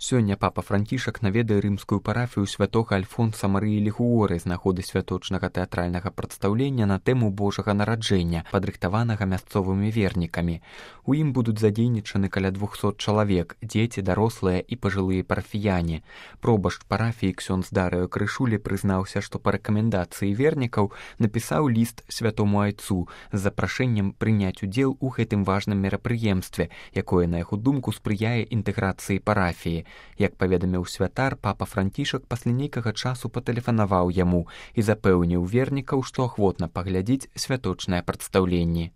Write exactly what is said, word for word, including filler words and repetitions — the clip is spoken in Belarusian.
Сёння папа Францішак наведае рымскую парафію святога Альфонса Марыі Лігуоры з нагоды святочнага тэатральнага прадстаўлення на тэму Божага нараджэння, падрыхтаванага мясцовымі вернікамі. У ім будуць задзейнічаны каля двухсот чалавек, дзеці, дарослыя і пажылыя парафіяне. Пробашч парафіі ксёндз Дарыо Крышулі прызнаўся, што па рэкамендацыі вернікаў напісаў ліст святому айцу з запрашэннем прыняць удзел у гэтым важным мерапрыемстве, якое, на яго думку, спрыяе інтэграцыі парафіі. Як паведаміў святар, папа Францішак пасля нейкага часу патэлефанаваў яму і запэўніў вернікаў, што ахвотна паглядзіць святочнае прадстаўленне.